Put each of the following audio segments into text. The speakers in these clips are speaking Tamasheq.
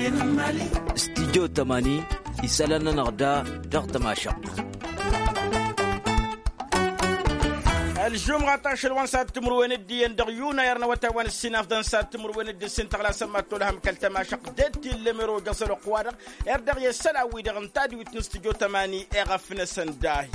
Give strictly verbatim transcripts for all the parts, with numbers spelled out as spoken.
Studyo tămani isălan-nănăɣ da dăɣ-tămašăɣt. Ălžumɣa tašăl wa n-sad timǝrwen d-iyyăn dăɣ-yunay ărnăwătay wa n-ǝssin afḍăn sad timǝrwen d-ǝssin tăɣlasăn mad-tolhăm kăl-tămašăɣt d-tillemero jăẓăloq-wa-dăɣ. Erdăɣ i-sălan-wi-dăɣ n-tadwit n-studyo tămani eɣăfnăsăn dahi.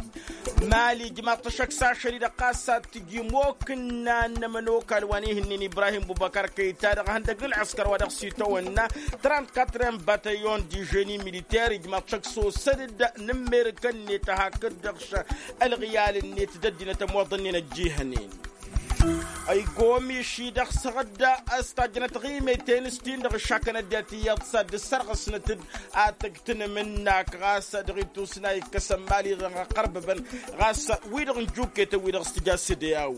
Mali ijmaḍ-t ăššăk s-ašăl-i-dăɣ ɣas ad-t-iji mokǝnna n-ămănokal wa n-ihǝnnin ibrahim bubăkăr kăyta dăɣ-ihăndăg n-ălɣǝskăr wa dăɣ-s itawănna trant-katren batayon di ženi militer ijmaḍ-t ăššăk s-osăd-dd n-ǝmmerǝkăn-net hakd-dăɣ š-ălɣiyal-net d-ăddinăt ămoḍănnen ăjjihănen. Ăygomiš-i-dăɣ săɣ-dd a-s tajjănăt ɣimăyten s-tin-dăɣ ǝššakăn ăddinăt iyyăḍ s-ad-dd-sărɣǝsnăt-dd atǝgg tinǝmǝnnak ɣas dăɣ-itusna ikkăsăn mali-dăɣ ăqqărbăbăn ɣas wi-dăɣ n-juketăn wi-dăɣ s-tǝja s-dd-i-aw.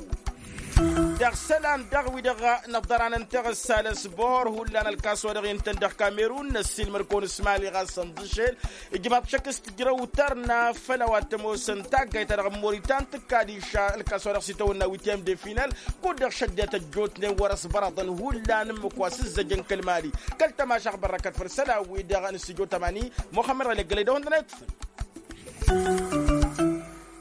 Dăɣ-isălan daɣ wi-dăɣ n-ăḍḍăran n-teɣăssa l-ăsbor hullan ălkas wa dăɣ-intăn dăɣ-kamerun n-ăssiilmăr-kăwăn s-mali ɣas ănḍǝšel. Ijmaḍ šăkk s-tǝjrăw tărna făll-a-wa t-ămoosăn taggayt-ta-dăɣ n-moritan tǝkkad iša ălkas wa dăɣ-s itawănna witiyăm de final. Kud-dăɣ šăddinăt ăjjootnen wăr-ăsbărăḍăn hullan ǝmmǝk wa s-ǝzzăjăn kăl-mali kăl-tămašăɣ bărrăkăt făll-isălan-wi-dăɣ n-studyo tămani muxămmăd ɣălegălăy d-ehund n-ayǝṭṭfăn.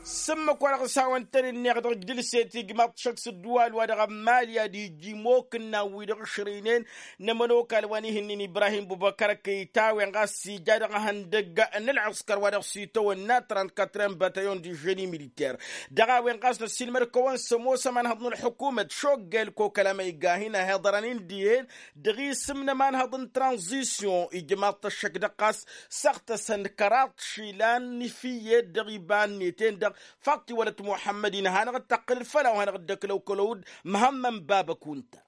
S-ǝmmǝk wa dăɣ-s hawăn-tăn-ǝnneɣ dăɣ-ǝjdǝlset ijmaḍ-t šăkk s-ǝddǝwal wa dăɣ-ămmali ad-iji imokǝnnan-wi-dăɣ ǝšrăynen n-ămănokal wa n-ihǝnnin ibrahim bubăkăr kăyta a-wen ɣas ija dăɣ-ihăndăgg n-ălɣǝskăr wa dăɣ-s itawănna trant-katren batayon di ženi militer. Dăɣ-a-wen ɣas năssiilmăd-kăwăn s-ămoos ămanhăḍ n-ălḥukumăt šoggel kokăl amăyga hin-ăhiḍărăn-in dihen dăɣ-isǝm n-ămanhăḍ n-tranzisyon ijmaḍ-t ăššăk dăɣ-ɣas săɣtăsăn kăraḍ išilan n-ifǝyyed dăɣ-iba-net-en-dăɣ. Faḍt-i wălăt muḥămmăd-in hanăɣ-dd-tăqqǝlăl făll-a-wa hanăɣ-dd-ăklăw kălăwăd. Măhămmăn baba kunta.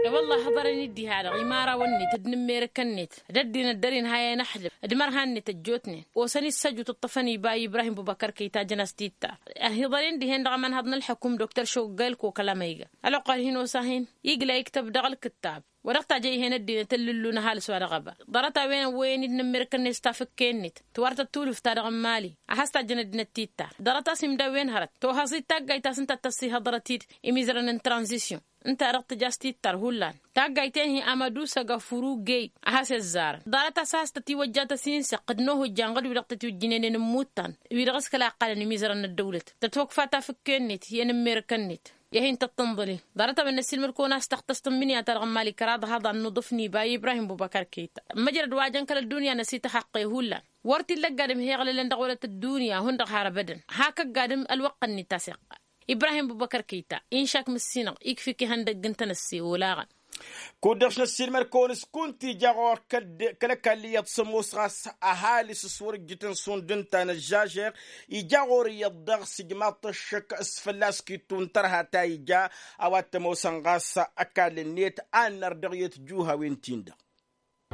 I-wălla hăḍărăn-dd diha-dăɣ imărawăn-net d-inǝmmerǝkăn-net d-ăddinăt dăr-inhayăn ăxlǝf d-imărhan-net ăjjootnen osăn-issăjut ǝṭṭăfăn iba i-ibrahim bubăkăr kăyta jăn-as titta. Ăhiḍărăn dihen dăɣ-amănhăḍ n-ălḥăkum doktor šoggăyăl kokăl amăyga ăloqal hin-osa-hin igla iktăb dăɣ-ălkǝttab. Wa dăɣ-tajăy-hen ăddinăt ǝllǝllun ăhalǝs wa dăɣ-ăba ḍarăt-a-wen ăwwăyăn-dd inǝmmirǝkăn-net tafǝkke-net tiwartăt tulǝft-ta-dăɣ n-mali a has-tajjăn ăddinăt tittar. Ḍarăt-as imdawen hărăt tohăẓ-dd taggayt ta s-ǝnta a t-ăssihăḍărăt-dd imizărăn n-tranzisyon ǝnta-dăɣ tǝja s-tittar hullan taggayt-en-hi amădusăg afurugey a has-ăzzarăn. Ḍarăt-as a has-tătiwăjja tăsinsăɣt d-inohǝjja ănɣăd-wi-dăɣ tătiwǝjjǝnenen n-imuttan wi-dăɣ s-kăla ăqqalăn imizărăn n-ăddăwlăt tătwăkfa tafǝkke-net i-inǝmmirǝkăn-net. I-ad-hin-tăt-tǝnḍǝli ḍarăt-a-wen năssiilmăd-kăwăn a-s tăxtăs tǝmmǝnǝya-ta-dăɣ n-mali kăraḍ haḍa n-inuḍǝf n-iba i-ibrahim bubăkăr kăyta. Ămmăjrăd wa jăn kăl-ăddunya n-ăsităxăqqe hullan wăr t-illa ăgg-adǝm hi-iɣlălăn dăɣ-wălăt ăddunya hundăɣ har ăbădăn. Hak ăgg-adǝm ălwăqq-net a-s iqqal ibrahim bubăkăr kăyta inšak mǝssinăɣ ikfa-k ihăndăgg n-tenăsse olaɣăn. Kud-dăɣ s-năssiilmăd-kăwăn s-kunta ija ɣur-kăl-ăkall iyyăḍ s-ămoos ɣas ăhalǝs s-wăr ǝjjǝtăn šund ǝnta n-ăžžažeɣ ija ɣur-iyyăḍ dăɣ-s ijmaḍ-t ăššăk s-fălla-s kittu n-tărha ta ija a-wa t-ămoosăn ɣas ăkall-net a ănnăr dăɣ-iyyăt juhawen-tin-dăɣ.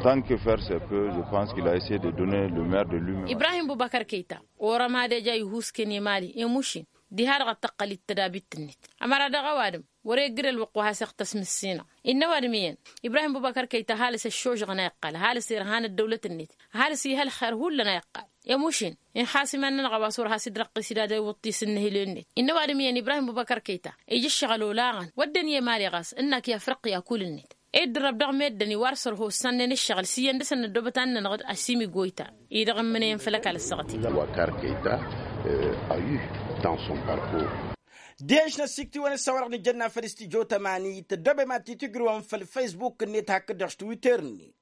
Tant que faire se peut, je pense qu'il a essayé de donner le meilleur de lui-même. Ibrahim bubăkăr kăyta orăm ad-eja ihusken i-mali i-mušin diha-dăɣ ad-tăqqăl-dd tădabit-net. Ămăra dăɣ-ăwadǝm wăr-eggǝd ălwăqq wa has-iɣtăs mǝssinăɣ. Innă ăwadǝm iyyăn ibrahim bubăkăr kăyta ăhalǝs ăššožăɣăn a iqqal ăhalǝs irhan ăddăwlăt-net ăhalǝs ih' ălxer hullan a iqqal. I-mušin inxas iman-nănăɣ a-wa s-wăr has-dd-răqqis idadăy iwǝṭṭis n-inǝhǝlen-net. Innă ăwadǝm iyyăn ibrahim bubăkăr kăyta ija ǝššăɣǝl olaɣăn wădden i-emali ɣas ǝnnak i-afriqya kull-net. Ed dărrăb dăɣ-meddǝn iwar sărho ǝssannen ǝššăɣǝl s-iyyăn dăr-săn n-ăddoobăt ad-nănăɣ-dd ăsimiggoyta. I-dăɣ ǝmmǝnăyăn făll-ăkall ăssaɣăt-i. Wa karkăyta a eu dans son parcours. Dehăn-š n-ăsiktiwăn s-a-wa-dăɣ nǝjănna făll-studyo tămani tăddoobem ad-t-tǝjrǝwăm făll-facebook-net hakd-dăɣ s-twitter-net.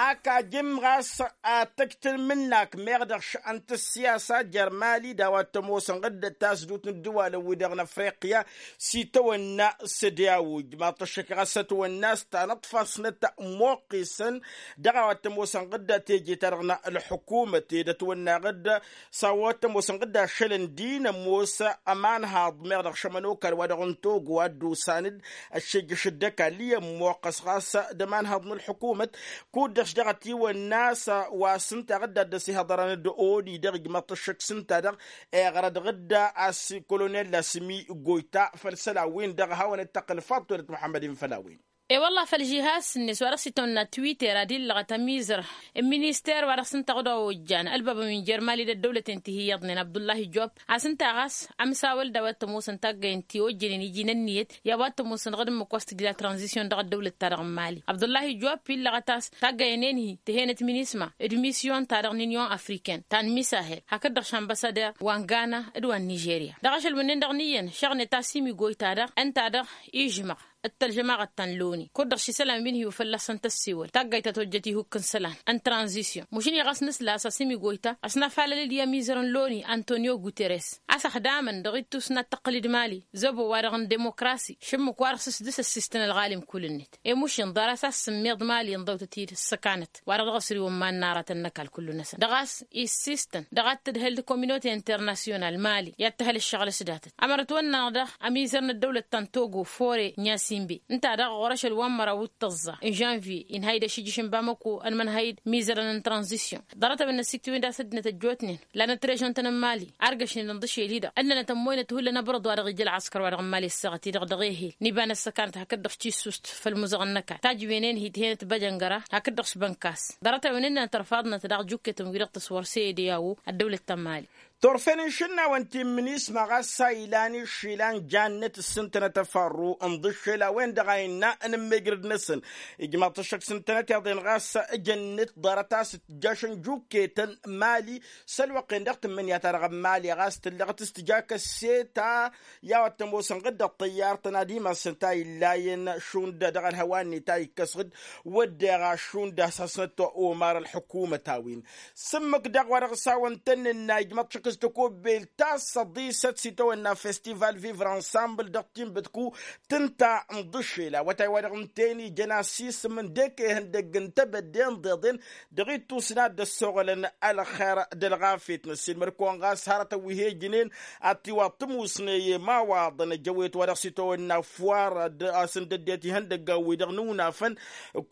Ak ajǝm ɣas ad-tăjj tǝlmǝnnak meɣ dăɣ-š ănt ăssiyasa jer-mali d-a-wa t-ămoosăn ɣǝddăt tasdut n-ǝddǝwalăn-wi-dăɣ n-afriqya s-itawănna s-ădyaw ijmaḍ-t ăššăk ɣas ătwănna s-tanăḍfasnăt moqqisăn dăɣ-a-wa t-ămoosăn ɣǝddăt teje-ta-dăɣ n-ălḥukumăt ed ătwănna ɣǝddăt s-a-wa t-ămoosăn ɣǝddăt ašăl n-din ămoos ămanhaḍ meɣ dăɣ-šămănokal wa dăɣ-n togo a dd-osan-dd ăššejjăš dd-ăkall i-ămmoqqăs ɣas d-ămanhaḍ n-ălḥukumăt. Kud-dăɣ-š dăɣ-ătiwănna a-s wa s-ǝnta ɣǝddăt d-ăsihăḍărăn d-oni dăɣ-ijmăḍ-t ăššăk s-ǝnta-dăɣ iɣrăd ɣǝdda a-s kolonel lasmi goyta făll-isălan-win-dăɣ a hawăn-dd-tăqqǝl faḍt-wălăt muḥămmăd-in făll-a-wen. E-wălla făll-žihaz-net wa dăɣ-s itawănna twitter ad-illăɣăt ămizăr n-minister wa dăɣ-s ǝnta ăɣ-dd-ojjan ălbabăn wi n-jer-mali d-ăddăwlăten ti hi-iyyăḍnen abdullahi jop, a-s ǝnta ɣas amsawăl d-a-wa t-ămoosăn taggăyăn ti ojjănen iji n-ǝnniyăt i-a-wa t-ămoosăn ɣǝd ǝmmǝk wa s-tǝjla tranzisyon dăɣ-ăddăwlăt-ta-dăɣ n-mali. Abdullahi jop illăɣăt a-s taggăyăn-en-hi tǝhenăt minisma d-misyon-ta-dăɣ n-inyon afriken ta n-misahel hakd-dăɣ š-ambăsader wa n-gana d-wa n-nižerya dăɣ-ašăl wǝnnin-dăɣ n-iyyăn šăɣnet a-s imigoy-ta-dăɣ ǝnta-dăɣ ižmăɣ d-tălžămaɣăt ta n-loni kud-dăɣ š-isălan wi n-hi-wa fălla-săn tăssiwăl taggayt ta tojjăt ihuk n-isălan n-tranzisyon mušǝn-i ɣas nǝsla a-s ăsimigoy-ta a-s nafalăl-dd i-amizăr n-loni antonio guterres a-s ăxdamăn dăɣ-ittus n-ad-tăqqǝl d-mali zăbo-wa-dăɣ n-demokrasi šǝmmǝk-wa-dăɣ s-s dăr-s ăssistăn ălɣalim kull-net i-mušin ḍarăt a-s sǝmmiḍ mali ǝnḍăwtăt-dd s-săkanăt wa-dăɣ dăɣ-s ri-wăn ma n-aratăn n-ăkall kullu-năsăn dăɣ-a-s issistăn dăɣ-ad-tǝdhǝl d-kominote internasyonal mali i-ad-tǝhhăl ǝššăɣǝl s-datăt ămărăt wănn-anăɣ daɣ ămizăr n-ăddăwlăt ta n-togo fore n-yasimbe ǝnta daɣ ɣur-ašăl wa n-măraw d-tăẓẓa n-žănvye inhăy d-ašǝjjǝš n-bamăko ănmănhăy d-imizărăn n-tranzisyon ḍarăt-a-wen n-ăssiktǝwen d-asăddinăt ăjjootnen lanăt režăn-tăn n-mali argăšnen ǝnḍǝšel-i-dăɣ ǝnnănăt ămmoynăt hullan abărăḍ wa dăɣ-ija ălɣăskăr wa dăɣ-n mali ăssaɣăt-i-dăɣ dăɣ-ehel n-iba n-ăssăkanăt hakd-dăɣ s-tissust făll-imuzăɣăn n-ăkall tajǝwen-en-hi tǝhenăt băjăngăra hakd-dăɣ s-bănkas ḍarăt-a-wen ǝnnănăt ărfaḍnăt daɣ juketăn wi-dăɣ tăswăr s-e-de a-wo ăddăwlăt ta n-mali. Turfen n-išǝnnawăn ti n-minisma ɣas a ilan išilan jannăt ǝssǝntănăt ăfarru ǝnḍǝššel a-wen-dăɣ a innă ănǝmmejrăd-năsăn ijmaḍ-t ăššăk s-ǝntănăt iḍen ɣas jănnăt ḍarăt a-s tǝjjašăn juketăn mali s-ălwăqq-en dăɣ-tǝmmǝnǝya-ta-dăɣ n-mali ɣas tǝllăɣăt s-tǝja kăsse-ta i-a-wa t-ămoosăn ɣǝd d-ăṭṭăyyar-tăn ad-imassăn ta illayen šund dăɣ-ălhăwa-net a ikkăs ɣǝd wădden ašund a-s hasnăt omar ălḥǝkumăt a-wen s-ǝmmǝk daɣ wa dăɣ-s a-wăn tăn-nǝnna ijmăḍ šăkk s-tăkobbelt ta s-ăḍisăt s-itawănna festival vivre ensemble dăɣ-tinbǝtku tǝnta n-iḍǝššel awătay-wa-dăɣ ǝnta-en ijăn asisǝm n-dek ihăndăgg n-tebădde n-iḍeḍen dăɣ-ittus n-ad-dd-ăssoɣălăn ălxer d-ălɣafyăt n-ăssiilmăd-kăwăn ɣas hărătăn wi he-ǝjǝnen ad-t-iwaḍ tǝmusne i-imawaḍăn ăjăwet wa dăɣ-s itawănna fuwar a-s ǝndăddet ihăndăggan-wi-dăɣ n-iwǝnafăn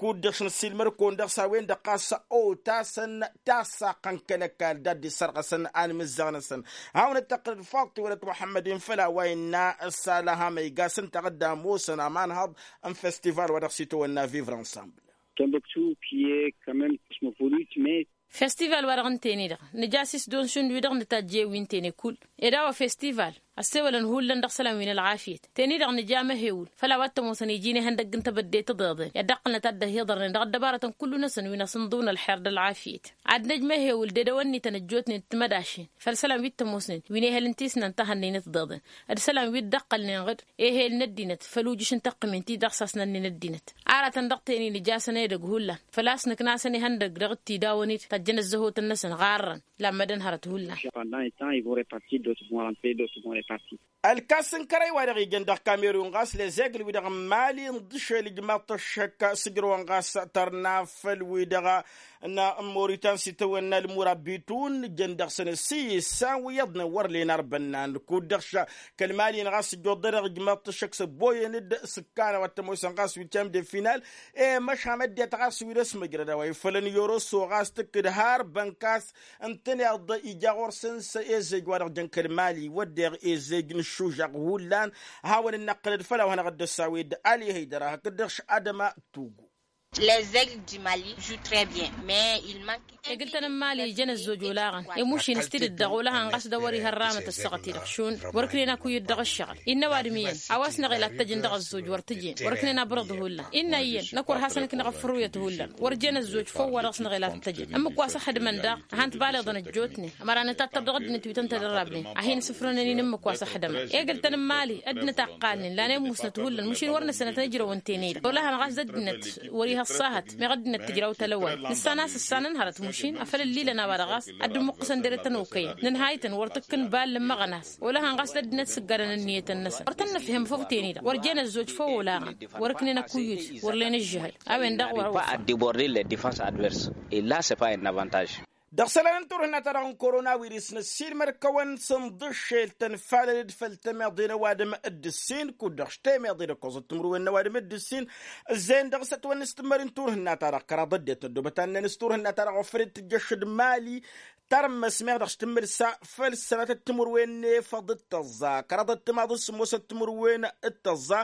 kud-dăɣ š-năssiilmăd-kăwăn dăɣ-s a-wen-dăɣ ɣas otasăn tasaqqăn kăl-ăkall d-ad-dd-issărɣăsăn anmǝzzaɣ-năsăn. Hawăn-dd-tăqqǝlăd faḍt-i wălăt muḥămmăd-in făll-a-wa innă s-alăham ăygas ǝnta ad-ămoosăn amanhăḍ n-festival wa dăɣ-s itawănna vivre ensemble. Timbuktu qui est quand même cosmopolite mais festival-wa-dăɣ ǝnta-en-i-dăɣ nǝja a-s isdon šund wi-dăɣ nǝtajj i-wi ǝnta-en-i kull ed a-wa festival ăssewălăn hullan dăɣ-isălan wi n-ălɣafyăt. Ten-i-dăɣ nǝja amăhewǝl făll-a-wa t-ămoosăn iji n-ihăndăgg n-tebădde tǝḍeḍen i-ad-dd-ăqqǝlnăt ad-dd-ăhiḍărnen dăɣ-ăddăbarătăn kullu-năsăn wi n-asǝnḍǝw n-ălxer d-ălɣafyăt. Ad-năj măhewǝl d-edăwănnităn ăjjootnen d-timădašen făll-isălan wi t-ămoosnen wi n-ehăl n-tisnant ta hannăynăt tiḍeḍen d-isălan wi dd-ăqqălnen ɣǝd ehel n-ăddinăt făll-ujǝš n-taqqǝmen ti dăɣ-sasnănnen ăddinăt. Aratăn dăɣ-ten-in ija a-săn edăgg hullan făl-a-s nǝknasăn ihăndăgg dăɣ-t-idawăn-dd tăjjăn ăzzăhotăn-năsăn ɣarrăn. Lammădăn hărăt hullan. Pendant un temps ils vont repartir d'autres vont rentrer d'autres vont repartir. Ălkas n-kărăy wa dăɣ-ijăn dăɣ-kamerun ɣas lezegl-wi-dăɣ n-mali n-dd-išel ijmaḍ-t ăššăk s-ǝjrăwăn ɣas tărna făll-wi-dăɣ n-moritan s-itawănna ălmurabitun jăn dăɣ-săn ǝssi issan wi iyyăḍnen wăr len arbănnan kud-dăɣ ša kăl-mali-in ɣas ǝjjuḍ-dăɣ ijmaḍ-t ăššăk s-ăbboyăn-dd s-ǝkkan a-wa t-ămoosăn ɣas wittiam de final. E-măšan ăddinăt ɣas wi n-ăsmăjrăd a-wa ifălăn i-oroso ɣas tǝkkǝd har bănkas ǝntăneḍ ija ɣur-săn s-ezej wa dăɣ-jăn kăl-mali wădden ezej n-ǝššužăɣ hullan. Hawăn-dd-năqqǝlăd făll-a-wa hanăɣ-dd-ăssawed ali hăydăra hakd-dăɣ š-adăma tugu. Les aigles du mali jouent très bien mais il manque egǝl-tăn n-mali ijăn ăzzoj olaɣăn i-mušin s-tidǝt-dăɣ olăhan ɣas d-a wăr-iha ărramăt ăssaɣăt-i-dăɣ šund wăr-ǝknen akuyǝd dăɣ-ăššăɣǝl. Innă ăwadǝm iyyăn a-wa s-năɣel ad-t-ăjǝn dăɣ-ăzzoj wăr t-ǝjǝn wăr-ǝknen abărăḍ hullan. Innă iyyăn năkk wăr hasăn-ǝknăɣ ăffărruyăt hullan wăr jen ăzzoj făw wa dăɣ-s năɣel ad-t-ăjǝn ǝmmǝk wa s-ăxdǝmăn daɣ ad-han-t-baleḍăn ăjjootnen. Ămăra nǝtattăr dăɣ-ăddinăt wi tăn-tădărrabnen ad-hin-sǝfrănăn-in ǝmmǝk wa s-ăxdămăn egǝl-tăn n-mali ăddinăt a ǝqqalnen lan i-musnăt hullan mušin wăr nǝsnăt n-ǝjrăw ǝnta-en-i-dăɣ olăhan ɣas d-ăddinăt wăr-iha ăṣṣahăt meɣ ăddinăt tǝjraw tălăwal. Nǝssan a-s ǝssanăn hărăt mušin afăl ǝllilăn a-wa-dăɣ ɣas ad-dd-ǝmmuqqǝsăn dere-tăn okăyăn nǝnhaytăn wăr t-ǝkkǝn bal n-ǝmmăɣnas. Olăhan ɣas d-ăddinăt s-ǝggadăn ǝnniyăt-năsăn wăr tăn-nǝfhǝm făw ten-i-dăɣ wăr jen ăzzoj făw olaɣăn. Wăr-ǝknen akuyǝd wăr len ǝžžǝhăl. A-wen-dăɣ wăr-ăwăffa. Ad-diborde les defense adverse et là c'est pas un avantage. Dăɣ-isălan n-turhǝnna-ta-dăɣ n-korona wirǝs năssiilmăd-kăwăn s-ǝnḍǝššel tănfalăl-dd făll-temeḍe n-ăwadǝm d-ǝssin kud-dăɣ š-temeḍe d-ǝkkoẓăt timǝrwen n-ăwadǝm d-ǝssin. Ǝzzeyăn dăɣ-s ătwănna s-tǝmmări n-turhǝnna-ta-dăɣ kăraḍ ăddinăt n-ăddoobăt annăn s-turhǝnna-ta-dăɣ ofăl-dd tǝjjăš d-mali. Tarămmăs meɣ dăɣ-s tǝmmǝlsa făll-sănatăt timǝrwen n-efăḍ d-tăẓẓa kăraḍăt timaḍ n-sǝmmosăt timǝrwen d-tăẓẓa.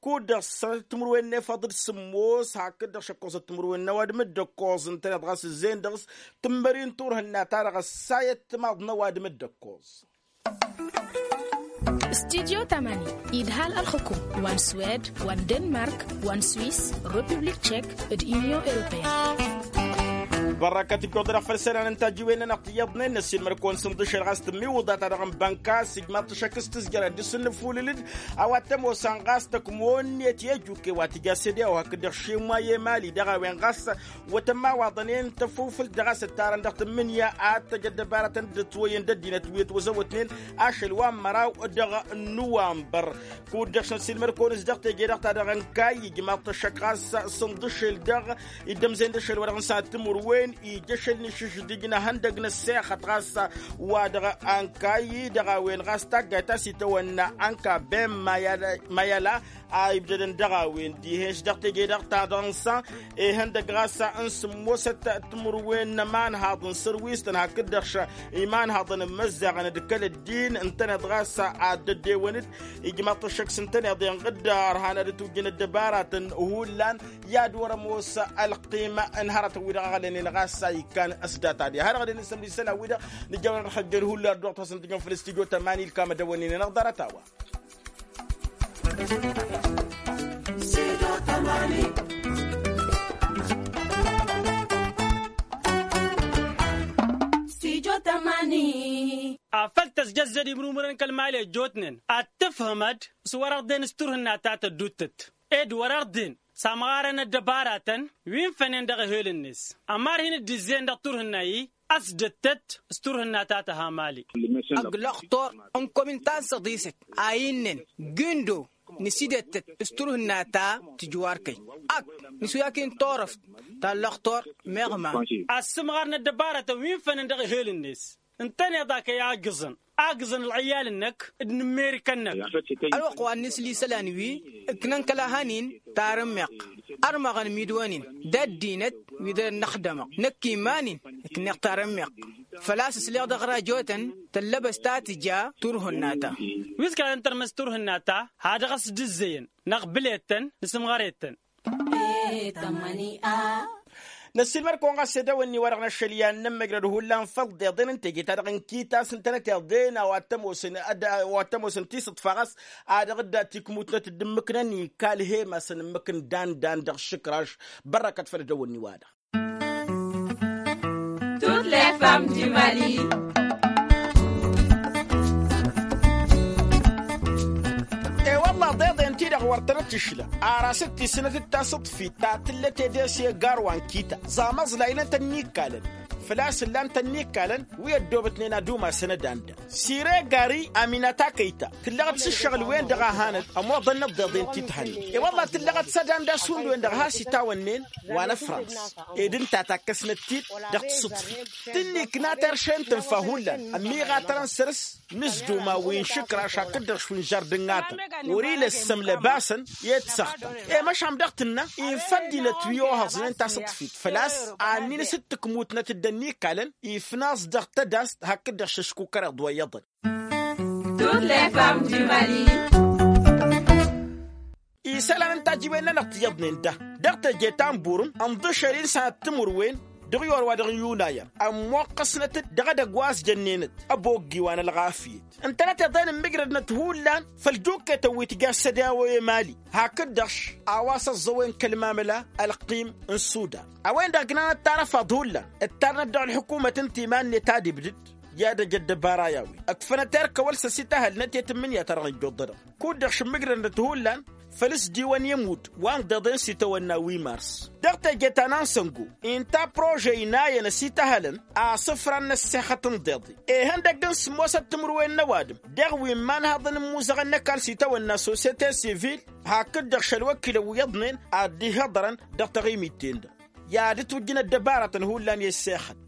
Kud-dăɣ s-sănatăt timǝrwen n-efăḍ d-sǝmmos hakd-dăɣ šăkkoẓăt timǝrwen n-ăwadǝm d-ǝkkoẓ ǝntăneḍ ɣas ǝzzeyăn dăɣ-s tǝmmări n-turhǝnna-ta-dăɣ ăssayăt timaḍ n-ăwadǝm d-ǝkkoẓ. Studyo tamani idhal ălxǝkum wa n-swed wa n-denmark wa n-swis, republik tšek, d-inyon europeyăn. Bărrăkăt ǝjjuḍ-dăɣ făll-isălan n-tajǝwen-nănăɣ tiyyăḍnen năssiilmăr-kăwăn s-inḍǝšel ɣas tǝmmiwǝḍa-ta-dăɣ n-bănka s-ijmaḍ-t ašăk s-tǝzjăr ad-dd-isǝnnǝfulǝl-dd. A-wa t-ămoosăn ɣas tăkmon-net i-ejukkew wa tǝja s-ed i-a-wa hakd-dăɣ šimwa i-emali dăɣ-a-wen ɣas wătăn imawaḍăn-en tăfufǝlt dăɣ-a-s ǝttarăn dăɣ-tǝmmǝnǝya ad-tăj ăddăbaratăn dd-ătwăyyăn d-ăddinăt wi ătwăzăwătnen ašăl wa n-măraw dăɣ-nǝwanbăr. Kud-dăɣ s-năssiilmăr-kăwăn-s dăɣ-teje-dăɣ-ta-dăɣ n-kayy ijmaḍ-t ašăk ɣas s-inḍǝšel dăɣ-iddămzen d-ašăl wa dăɣ-nǝssanăt timǝrwen ija ašăl n-išǝžžǝdǝj n-ehăndăg n-ăssexăt ɣas wa dăɣ-ankayy dăɣ-a-wen ɣas taggayt ta s-itawănna anka ben mayala a ibdădăn dăɣ-a-wen dihen-s dăɣ-teje-dăɣ-ta-dăɣ n-sa ihăndăg ɣas n-sǝmmosăt timǝrwen n-ămanhaḍ n-sărwis-tăn hakd-dăɣ imanhaḍăn n-imăzzaɣăn d-kăl-ăddin ǝntăneḍ ɣas ad-dd-ăddewăn-dd. Ijmaḍ-t ăššăk s-ǝntăneḍ inɣǝd ărhan ad-ătwǝjjǝn ăddăbaratăn hullan i-ad-wăr-ămoos ălqim n-hărătăn-wi-dăɣ ăɣlănen ɣas a ikkan s-data-di har-dăɣ d-inǝsǝmri isălan-wi-dăɣ nǝjăwăn ad-ălxăjjăn hullan ădduɣ-t wa s-ǝntǝjăn făll-studyo tămani ǝlkam ad-ăwănnen inăɣ ḍarăt-a-wa. Afăl tăzjăzzăd imrumrăn kăl-mali ăjjootnen ad-tǝfhǝmăd s-wăr-ăɣden s-turhǝnna ta tădduttăt ed wăr-ăɣden s-amɣarăn ăddăbaratăn wi n-fănen dăɣ-ehel-net. Ămar hin-dd-izzeyăn dăɣ-turhǝnna-i ăsdăttăt s-turhǝnna ta tăha mali. Ăgg lăxtor n-komin ta n-săḍisăt a innăn gindo nǝsidăttăt s-turhǝnna ta tǝjwarkăy ak nǝsuyaki n-turăft ta n-lăxtor meɣma. Ad-sǝmɣarăn ăddăbaratăn wi n-fănen dăɣ-ehel-net ǝntăneḍ a kăy-agǝẓăn agǝẓăn ălɣǝyyal-năk d-inǝmmerikăn-năk. Ălwăqq wa n-inǝsli isălan wi ǝknăn kăla hănin tarǝmmiɣt ărmăɣăn midwăn-in d-ăddinăt wi dăr-năxdămăɣ năkk iman-in ǝkneɣ tarǝmmiɣt. Făl-a-s ǝsleɣ dăɣ-rajotăn tăllăbăs ta tǝja turhǝnna-ta. Wi s-kăla tăn-tărmăs turhǝnna-ta ha dăɣ-s dd-ǝzzeyăn năɣbǝl-ettăn nǝsǝmɣăr-ettăn. Năssiilmăr-kăwăn ɣas edăwănni-wa-dăɣ n-ašăl i-ad-nǝmmăjrăd hullan făll-deḍen n-teje-ta-dăɣ n-kitas ǝntănăt eḍen a-wa t-ămoosăn tisǝḍfa ɣas a dăɣ-dd-tikmutnăt dd-ǝmmǝknăn ikal hem-asăn ǝmmǝk n-dan-dan dăɣ-išǝkraš. Bărrăkăt făll-edăwănni-wa-dăɣ. Toutes les femmes du mali. E-wălla deḍen-ti-dăɣ wăr tănăt-išla ar asǝttisnăt d-tasǝḍfit ta tǝllăt ede s-egar wa n-kita ẓamăẓlaynăt ănnikkalăn făl-a-s ǝllan-t ănnikkalăn wi ăddoobătnen ad-umasăn ădanda. Sire gari aminata kăyta tǝllăɣăt s-ǝššăɣǝl-wen-dăɣ a hanăt ămoḍăn n-ăḍḍeḍen ti t-hănnen. E-wălla tǝllăɣăt s-ădanda šund-wen-dăɣ has-itawănnen wa n-ăfrans ed ǝnta takkăsnăt-t-dd dăɣ-tǝsǝḍfit tǝnnikna terše n-tǝnfa hullan ămmiɣatărăn săr-s nǝzduma wi n-išǝkraš hakd-dăɣ šund žardǝngatăn wăr-ila ăssămlăbasăn i-dd-săɣtăn. E-măšan dăɣ-tǝnna infa ăddinăt wi ohăẓnen tasǝḍfit făl-a-s a ǝnnin s-dd-tǝkmutnăt dd-ănnikkalăn ifnaẓ dăɣ-tădast hakd-dăɣ šăškukăreḍ wa iyyăḍăn. Toutes les femmes du mali. Isălan n-tajǝwen-nănăɣ tiyyăḍnen da dăɣ-teje ta n-burǝm ǝnḍǝšăl-in sănat timǝrwen dăɣ-i orwa dăɣ-n yunayăr ămmoqqăsnăt-dd dăɣ-edăgg wa s-jănnenăt ăboggi wa n-ălɣafyăt. Ǝntănăt iḍen ǝmmǝjrădnăt hullan făll-dukketăn wi tǝja s-ădawăy emali hakd-dăɣ-š a-wa s-ăẓẓăwen kăl-mamăla ălqim n-sudan a-wen-dăɣ ǝgnanăt tarăfaḍ hullan ǝttarnăt dăɣ-ălḥǝkumăt ǝnta iman-net ad-ibdǝd. I-ad-ăj ăddăbara i-a-wen ǝkfănăt erk awăl s-ăsităhălnăt i-tǝmmǝnǝya-ta-dăɣ n-ijjuḍ-dăɣ kud-dăɣ šǝmmǝjrădnăt hullan făll-s d-iwăn i-ămudd wa n-deḍen s-itawănna wi mars. Dăɣ-teje ta n-ansăngo inta prože inayăn ăsităhălăn asǝfran n-ăssexăt n-deḍe ihăndăgg n-sǝmmosăt timǝrwen n-ăwadǝm dăɣ-wi n-imanhăḍăn n-imuzăɣăn n-ăkall s-itawănna sosyete sivil hakd-dăɣ šălwăkilăn wi iyyăḍnen ad-dd-ihăḍărăn dăɣ-taɣimit-ten-dăɣ. I-ad-ǝtwǝjjǝn ăddăbaratăn hullan i-ăssexăt